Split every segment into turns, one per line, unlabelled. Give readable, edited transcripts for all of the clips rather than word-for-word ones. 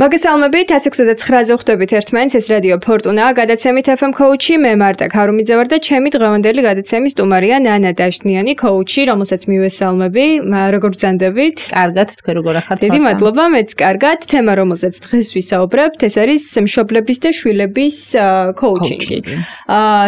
მოგესალმებით 169-ზე ხვდებით ერთმანეთს ეს რადიო ფორტუნა გადაცემით FM coach-ი მე მარტა ქარუმიძე ვარ და ჩემი დღევანდელი გადაცემის სტუმარია ნანა დაშნიანი coach-ი რომელსაც მივესალმები როგორ ბრძანდებით?
კარგად თქვენ როგორ ახართ?
დიდი მადლობა მეც კარგად თემა რომელსაც დღეს ვისაუბრებთ ეს არის მშობლების და შვილების coaching-ი.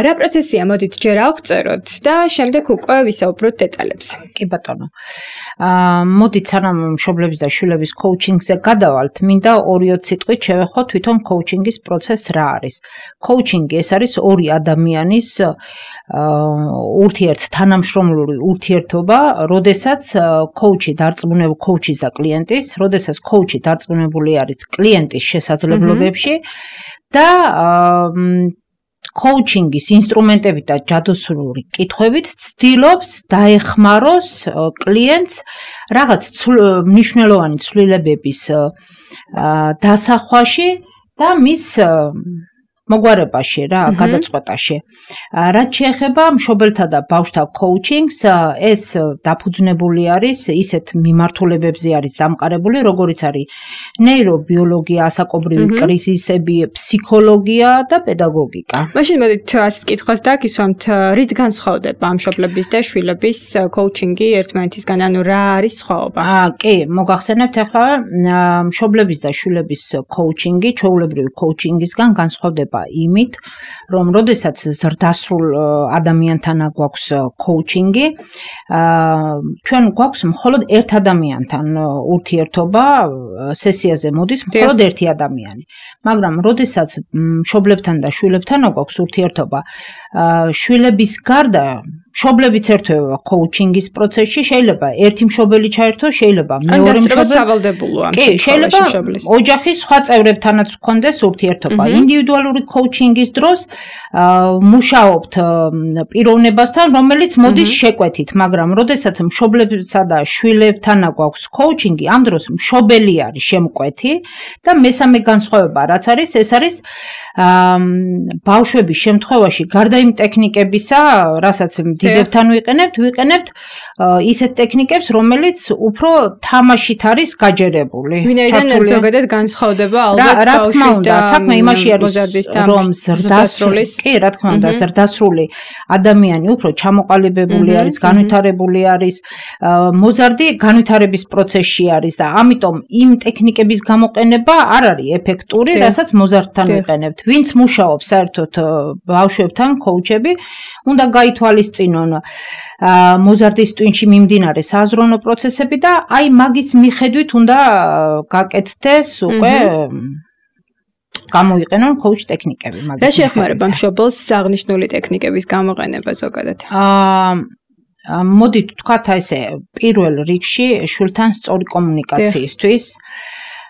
რა პროცესია მოდით ჯერ ავწეროთ და შემდეგ უკვე ვისაუბროთ დეტალებზე.
კი ბატონო. მოდით სანამ მშობლების და შვილების coaching-ზე გადავალთ მინდა 2 სიტყვით შევეხო თვითონ coaching-ის პროცესს რა არის. Coaching-ი ეს არის ორი ადამიანის თანამშრომლური ურთიერთობა, როდესაც coach-ი დარწმუნებული coach-ის და კლიენტის, როდესაც coach-ი დარწმუნებული არის კლიენტის შესაძლებლობებში და coaching-ის ინსტრუმენტებით და ჯადოსნური კითხვებით ცდილობს დაეხმაროს კლიენტს რაღაც მნიშვნელოვანი ცვლილებების დასახვაში და მის მოგვარებაში რა, გადაწყვეტაში. რაც შეეხება მშობელთა და ბავშვთა coaching-ს, ეს დაფუძნებული არის ისეთ მიმართულებებზე არის დამყარებული, როგორიც არის ნეირობიოლოგია, ასაკობრივი კრიზისები, ფსიქოლოგია და პედაგოგიკა.
მაშინ მოდით ასეთ კითხვას დაგისვამთ, რით განსხვავდება მშობლების და შვილების coaching-ი ერთმანეთისგან, ანუ რა არის სხვაობა?
კი, მოგახსენებთ ახლა მშობლების და შვილების coaching-ი, ჩვეულებრივი coaching-ისგან განსხვავდება იმით, რომ როდესაც ზრდასრულ ადამიანთან გვაქვს coaching-ი, ჩვენ გვაქვს მხოლოდ ერთ ადამიანთან ურთიერთობა, სესიაზე მოდის მხოლოდ ერთი ადამიანი. მაგრამ როდესაც მშობლებთან და შვილებთან გვაქვს ურთიერთობა, შვილების გარდა მშობლებიც ერთვება coaching-ის პროცესში, შეიძლება ერთი მშობელი ჩაერთოს, შეიძლება მეორე მშობელი.
სავალდებულოა
კი, შეიძლება ოჯახის სხვა წევრებთანაც გქონდეს ურთიერთობა. ინდივიდუალური coaching-ის დროს მუშაობთ პიროვნებასთან, რომელიც მოდის შეკვეთით, მაგრამ როდესაც მშობლებსა და შვილებთან გვაქვს coaching-ი, ამ დროს მშობელი არის შემკვეთი და მესამე განსხვავება რაც არის, ეს არის ბავშვების შემთხვევაში გარდა იმ ტექნიკებისა, რასაც დიდებთან ვიყენებთ ისეთ ტექნიკებს, რომელიც უფრო თამაშით არის გაჯერებული.
ვინაიდან ზოგადად განსხვავდება ალბათ ბავშვის და
საქმე იმაში არის, რომ ზრდასრული ადამიანი უფრო ჩამოყალიბებული არის, განვითარებული არის, მოზარდი განვითარების პროცესში არის და ამიტომ იმ ტექნიკების გამოყენება არ არის ეფექტური, რასაც მოზარდთან ვიყენებთ. ვინც მუშაობს საერთოდ ბავშვებთან coach-ები, უნდა გაითვალისწინონ მოზარდის ტვინში მიმდინარე საზრუნო პროცესები და აი მაგის მიხედვით უნდა გაკეთდეს უკვე გამოიყენონ coach ტექნიკები მაგის.
რა შეეხმარება მშობელს აღნიშნული ტექნიკების გამოყენება ზოგადად?
მოდით ვთქვათ ესე, პირველ რიგში შვილთან სწორი კომუნიკაციისთვის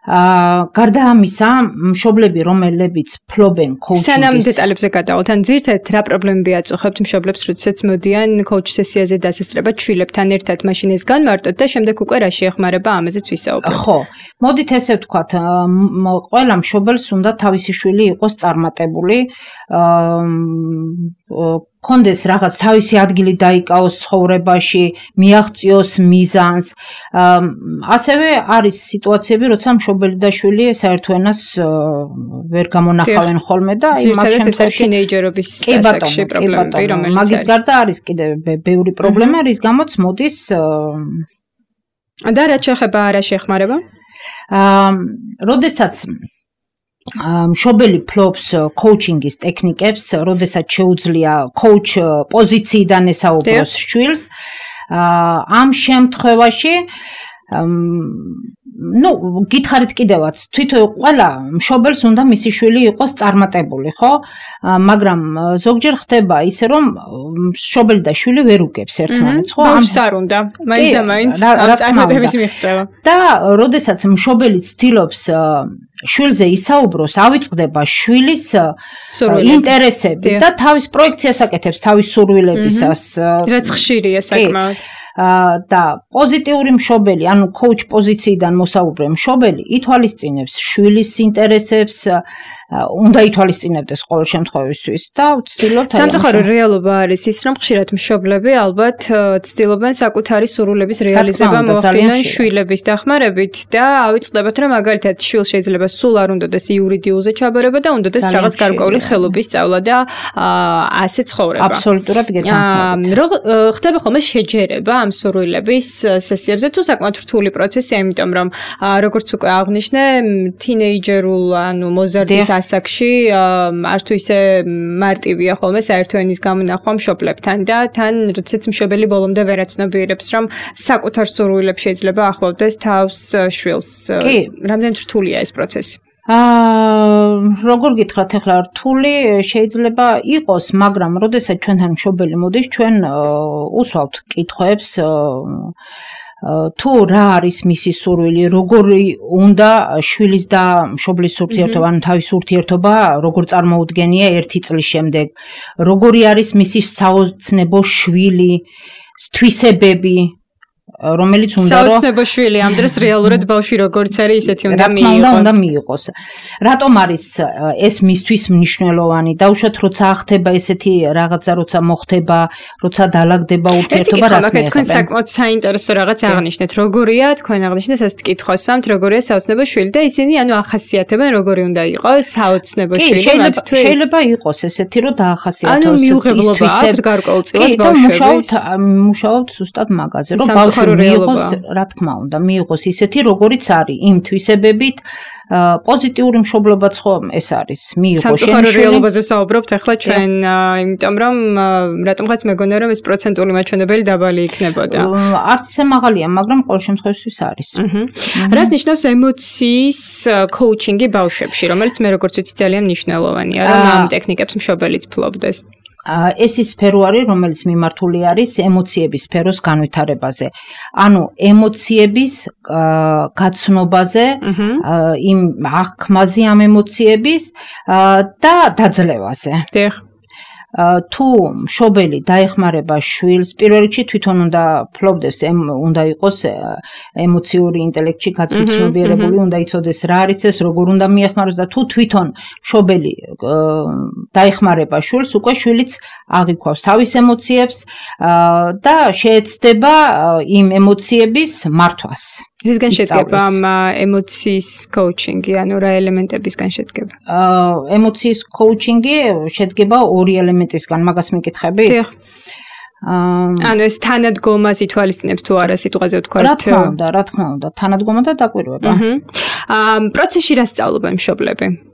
გარდა ამისა, მშობლები, რომლებიც ფლობენ coaching-ის.
სანამ დეტალებზე გადავალთ, ან ძირითადად რა პრობლემები აწუხებთ მშობლებს, როდესაც მოდიან coach სესიაზე დასასწრებად შვილებთან ერთად, მაშინ ეს განმარტოთ და შემდეგ უკვე რა შეეხმარება ამაზეც ვისაუბროთ.
ხო, მოდით ესე ვთქვათ, ყველა მშობელს უნდა თავისი შვილი იყოს წარმატებული, კონდეს რაღაც თავისი ადგილი დაიკავოს ცხოვრებაში, მიაღწიოს მიზანს. ასევე არის სიტუაციები, როცა მშობელი და შვილი საერთო ენას ვერ გამონახავენ ხოლმე და
მაგ შემთხვევაში თინეიჯერობის ასაკში პრობლემები, რომელიც
მაგის გარდა არის კიდევ ბევრი პრობლემა, რის გამოც მოდის
და რა შეეხება რა შეეხმარება?
როდესაც მშობელი ფლობს coaching-ის ტექნიკებს, როდესაც შეუძლია coach პოზიციიდან ესაუბროს შვილს, ამ შემთხვევაში გითხარით კიდევაც, თვითონ ყველა მშობელს უნდა მისი შვილი იყოს წარმატებული, ხო? მაგრამ ზოგჯერ ხდება ისე, რომ მშობელი და შვილი ვერ უგებს ერთმანეთს, ხო?
ბავშვს არ უნდა, მაინც და მაინც ამ წარმატების მიღწევა.
და როდესაც მშობელი ცდილობს შვილზე ისაუბროს, ავიწყდება შვილის ინტერესები და თავის პროექციას აკეთებს თავის სურვილებისას.
რაც ხშირია საკმაოდ.
და პოზიტიური მშობელი, ანუ coach პოზიციიდან მოსაუბრე მშობელი ითვალისწინებს შვილის ინტერესებს უნდა ითვალისწინებდეს ყოველ შემთხვევისთვის და ვცდილობთ
სამწუხარო რეალობა არის ის, რომ ხშირად მშობლები ალბათ ცდილობენ საკუთარი სურვილების რეალიზება მოახდინონ შვილების დახმარებით და ავიწყდებათ, რომ მაგალითად შვილს შეიძლება სულ არ უნდადეს იურიდიულზე ჩაბარება და უნდადეს რაღაც გარკვეული ხელობის სწავლა და ასე ცხოვრება.
აბსოლუტურად გეთანხმებით.
ხდება ხოლმე შეჯერება ამ სურვილების სესიებზე თუ საკმაოდ რთული პროცესია, იმიტომ რომ როგორც უკვე აღნიშნე, თინეიჯერულ ანუ მოზარდის ასაკში არც თუ ისე მარტივია ხოლმე საერთო ენის გამონახვა მშობლებთან და თან როდესაც მშობელი ბოლომდე ვერ აცნობიერებს, რომ საკუთარ სურვილებს შეიძლება ახლოვდეს თავს შვილს. რამდენად რთულია ეს პროცესი?
როგორ გითხრათ ახლა რთული შეიძლება იყოს, მაგრამ როდესაც ჩვენთან მშობელი მოდის, ჩვენ უსვავთ კითხვებს თუ რა არის მისი სურვილი, როგორი უნდა შვილის და მშობლის ურთიერთობა, ანუ თავის ურთიერთობა, როგორ წარმოუდგენია 1 წლის შემდეგ, როგორი არის მისი საოცნებო შვილი, თვისებები, რომელიც უნდა რომ
საოცნებო შვილი ამ დროს რეალურად ბავშვი როგორც არის ისეთი
უნდა მიიღოს. რატომ არის ეს მისთვის მნიშვნელოვანი? დაუშვათ როცა ახდება ესეთი რაღაცა, როცა მოხდება, როცა დაალაგდება ურთიერთობა, რას მიიღებენ?
თქვენ საკმაოდ საინტერესო რაღაც აღნიშნეთ. როგორია, თქვენ აღნიშნეთ ასეთ კითხვას, როგორია საოცნებო შვილი და ისინი ანუ ახასიათებენ როგორი უნდა იყოს საოცნებო შვილი მათთვის.
შეიძლება იყოს ესეთი, რომ დაახასიათოს.
ანუ მიუღებლობა აქვს გარკვეულწილად ბავშვების.
მუშაობთ ზუსტად მაგაზე, რომ ბავშვი მიიღოს, რა თქმა უნდა, მიიღოს ისეთი, როგორიც არის, იმ თვისებებით, პოზიტიური მშობლობაც ხო ეს არის, მიიღოს შენ
სამწუხარო რეალობაზე საუბრობთ ახლა ჩვენ, იმიტომ რომ რატომღაც მეგონა რომ ეს პროცენტული მაჩვენებელი დაბალი იქნებოდა.
არც ისე მაღალია, მაგრამ ყოველ შემთხვევაში არის.
რას ნიშნავს ემოციის კოუჩინგი ბავშვებში, რომელიც მე როგორც ვიცი ძალიან მნიშვნელოვანია, რომ ამ ტექნიკებს მშობელიც ფლობდეს.
ეს ის სფერო არის, რომელიც მიმართული არის ემოციების სფეროს განვითარებაზე. ანუ ემოციების გაცნობაზე, იმ აღქმაზე ამ ემოციების და დაძლევაზე. თუ მშობელი დაეხმარება შვილს, პირველ რიგში თვითონ უნდა ფლობდეს, უნდა იყოს ემოციური ინტელექტში გაცნობიერებული, უნდა იცოდეს რა არის ეს, როგორ უნდა მიეხმაროს და თუ თვითონ მშობელი დაეხმარება შვილს, უკვე შვილიც აღიქვავს თავის ემოციებს და შეეცდება იმ ემოციების მართვას.
რისგან შედგება ამ ემოციის კოუჩინგი, ანუ რა ელემენტებისგან შედგება?
ემოციის კოუჩინგი შედგება 2 ელემენტისგან, მაგას მიკითხებით?
ანუ ეს თანადგომას ითვალისწინებს თუ არა სიტყვაზე ვთქვათ?
რა თქმა უნდა, თანადგომა და დაკვირვება.
პროცესში რა სწავლობენ მშობლები?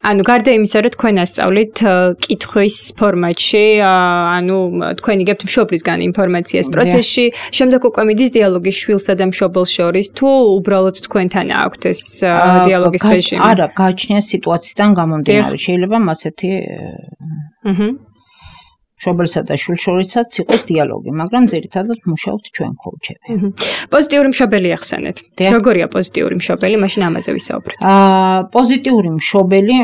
ანუ გარდა იმისა, რომ თქვენ ასწავლით კითხვის ფორმატში, ანუ თქვენ იგებთ მშობლისგან ინფორმაციას პროცესში, შემდეგ უკვე მიდის დიალოგი შვილსა და მშობელს შორის, თუ უბრალოდ თქვენთან აქვთ ეს დიალოგის რეჟიმი?
არა, გააჩნია სიტუაციიდან გამომდინარე, შეიძლება ასეთი მშობელსა და შვილს შორისაც იყოს დიალოგი, მაგრამ ძირითადად მუშაობთ ჩვენ კოუჩები.
პოზიტიური მშობელი ახსენეთ. როგორია პოზიტიური მშობელი? მაშინ ამაზე ვისაუბრეთ.
პოზიტიური მშობელი,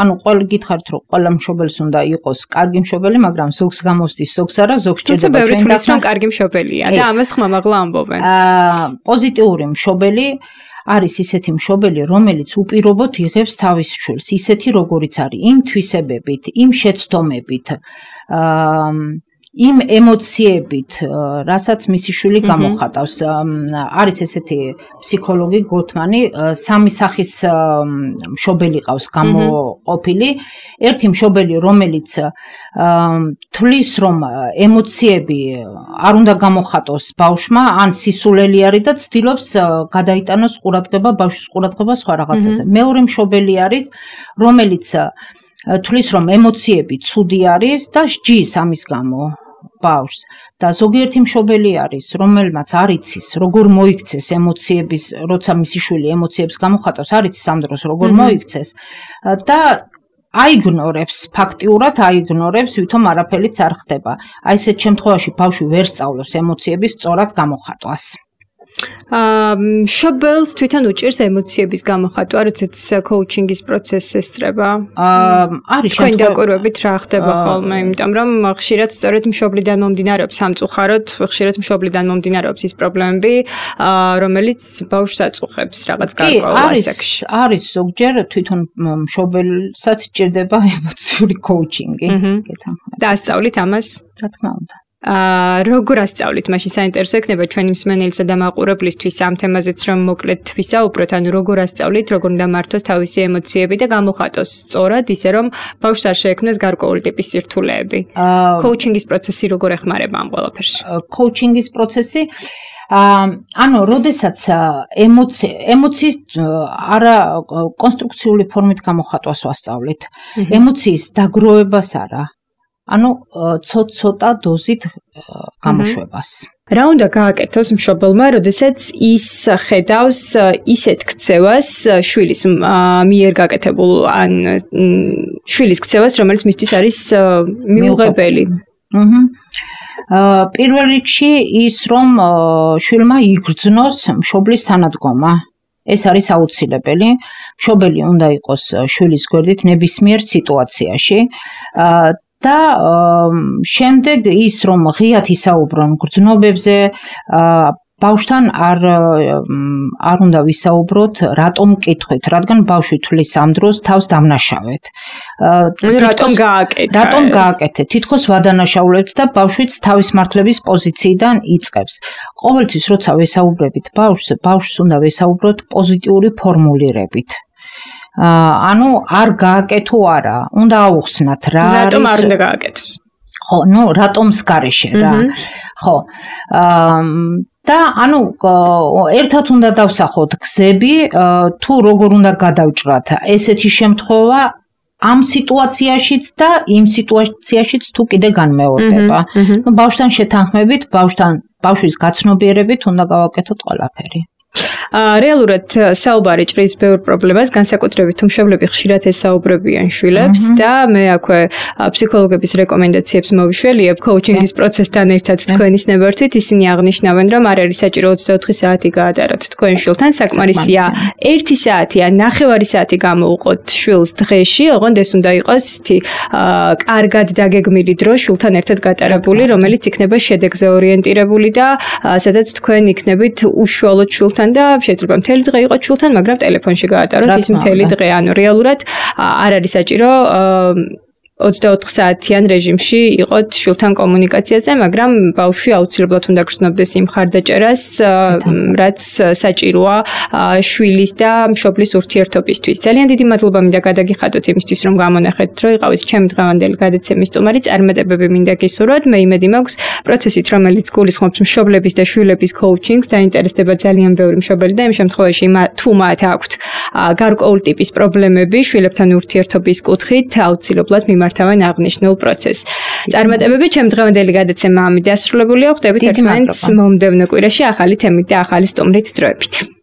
ანუ ყველა გითხარით, რომ ყველა მშობელს უნდა იყოს კარგი მშობელი, მაგრამ ზოგს გამოსდის, ზოგს არა, ზოგს ჭირდება
ჩვენ თვითონ რომ კარგი მშობელია და ამას ხმამაღლა ამბობენ.
პოზიტიური მშობელი არის ისეთი მშობელი, რომელიც უპირობოდ იღებს თავის შვილს, ისეთი როგორიც არის, იმ თვისებებით, იმ შეცდომებით, იმ ემოციებით, რასაც მისი შვილი გამოხატავს. არის ესეთი ფსიქოლოგი გოთმანი, 3 სახის მშობელი ყავს გამოყოფილი. ერთი მშობელი, რომელიც თვლის, რომ ემოციები არ უნდა გამოხატოს ბავშვმა, ან სისულელი არის და ცდილობს გადაიტანოს ყურადღება ბავშვის ყურადღება სხვა რაღაცაზე. მეორე მშობელი არის, რომელიც თვლის, რომ ემოციები ცუდი არის და სჯის ამის გამო ბავშვს და ზოგიერთი მშობელი არის, რომელმაც არ იცის, როგორ მოიქცეს ემოციების, როცა მისი შვილი ემოციებს გამოხატავს, არ იცის ამ დროს როგორ მოიქცეს და აიგნორებს, ფაქტიურად აიგნორებს, ვითომ არაფერიც არ ხდება. აი ესეთ შემთხვევაში ბავშვი ვერ სწავლობს ემოციების სწორად გამოხატვას.
მშობელს თვითონ უჭირს ემოციების გამოხატვა, როდესაც კოუჩინგის პროცესს ესწრება.
არის
თქვენი დაკვირვებით რა ხდება ხოლმე, იმიტომ რომ ხშირად სწორედ მშობლიდან მომდინარეობს სამწუხაროდ, ხშირად მშობლიდან მომდინარეობს ის პრობლემები, რომელიც ბავშვს აწუხებს რაღაც გარკვეულ ასაკში.
არის ზოგჯერ თვითონ მშობელსაც ჭირდება ემოციური კოუჩინგი.
და ასწავლით ამას?
რა თქმა უნდა.
როგორ ასწავლით? მაშინ საინტერესო იქნება ჩვენი მსმენელისა და მაყურებლისთვის ამ თემაზეც რომ მოკლედ ვისაუბროთ, ანუ როგორ ასწავლით, როგორ უნდა მართოს თავისი ემოციები და გამოხატოს სწორად, ისე რომ ბავშვს არ შეექმნას გარკვეული ტიპის სირთულეები. კოუჩინგის პროცესი როგორ ეხმარება ამ ყველაფერში?
კოუჩინგის პროცესი ანუ, როდესაც ემოციის არა კონსტრუქციული ფორმით გამოხატვას ვასწავლით. ემოციის დაგროვებას არა. ანუ ცოტ-ცოტა დოზით გამოშვებას.
რა უნდა გააკეთოს მშობელმა, როდესაც ის ხედავს ისეთ ქცევას შვილის მიერ გაკეთებულ ან შვილის ქცევას, რომელიც მისთვის არის მიუღებელი?
პირველ რიგში ის რომ შვილმა იგრძნოს მშობლის თანადგომა. ეს არის აუცილებელი. მშობელი უნდა იყოს შვილის გვერდით ნებისმიერ სიტუაციაში. და შემდეგ ის რომ ღიად ისაუბრონ გრძნობებზე, ბავშვთან არ უნდა ვისაუბროთ რატომ მკითხეთ, რადგან ბავშვი თვლის ამ დროს თავს დამნაშავეთ.
რატომ გააკეთა?
რატომ გააკეთეთ? თითქოს ვადანაშაულებთ და ბავშვიც თავის მართლების პოზიციიდან იწყებს. ყოველთვის როცა ვესაუბრებით ბავშვს უნდა ვესაუბროთ პოზიტიური ფორმულირებით. ანუ არ გააკეთო არა, უნდა აუხსნათ რა არის.
რატომ არ უნდა გააკეთოს?
ხო, რატომს გარეშე რა. ხო. და ანუ ერთად უნდა დავსახოთ გზები, თუ როგორ უნდა გადავჭრათ ესეთი შემთხვევა ამ სიტუაციაშიც და იმ სიტუაციაშიც თუ კიდე განმეორდება. ბავშვთან შეთანხმებით, ბავშვის გაცნობიერებით უნდა გავაკეთოთ ყველაფერი.
რეალურად საუბარი ჭრის ბევრ პრობლემას, განსაკუთრებით თუ მშობლები ხშირად ესაუბრებიან შვილებს და მე აქვე ფსიქოლოგების რეკომენდაციებს მოვიშველიებ კოუჩინგის პროცესთან ერთად თქვენის ნებართვით. ისინი აღნიშნავენ, რომ არ არის საჭირო 24 საათი გაატაროთ თქვენ შვილთან, საკმარისია 1 საათი ან 9 საათი გამოუყოთ შვილს დღეში, ოღონდ ეს უნდა იყოს ისეთი კარგად დაგეგმილი დრო შვილთან ერთად გატარებული, რომელიც იქნება შედეგზე ორიენტირებული და სადაც თქვენ იქნებით უშუალოდ შვილთან და შეიძლება მთელი დღე იყოს შვილთან, მაგრამ ტელეფონში გაატაროთ ის მთელი დღე. ანუ რეალურად არ არის საჭირო 24 საათიან რეჟიმში იყოთ შვილთან კომუნიკაციაზე, მაგრამ ბავშვი აუცილებლად უნდა გრძნობდეს იმ ხარდაჭერას, რაც საჭიროა შვილის და მშობლის ურთიერთობისთვის. ძალიან დიდი მადლობა მინდა გადაგიხადოთ იმისთვის, რომ გამონახეთ, რომ იყავით ჩემი დღევანდელი გადაცემის სტუმარი. წარმატებები მინდა გისურვოთ. მე იმედი მაქვს, პროცესით, რომელიც გულისხმობს მშობლების და შვილების კოუჩინგს, დაინტერესდება ძალიან ბევრი მშობელი და იმ შემთხვევაში, თუ მათ აქვთ გარკვეული ტიპის პრობლემები შვილებთან ურთიერთობის კუთხით, აუცილებლად მიმართავენ აღნიშნულ პროცესს. წარმატებები, ჩემი დღევანდელი გადაცემა ამით დასრულებულია. ხვდებით ერთმანეთს მომდევნო კვირაში ახალი თემით და ახალი სტუმრით დროებით.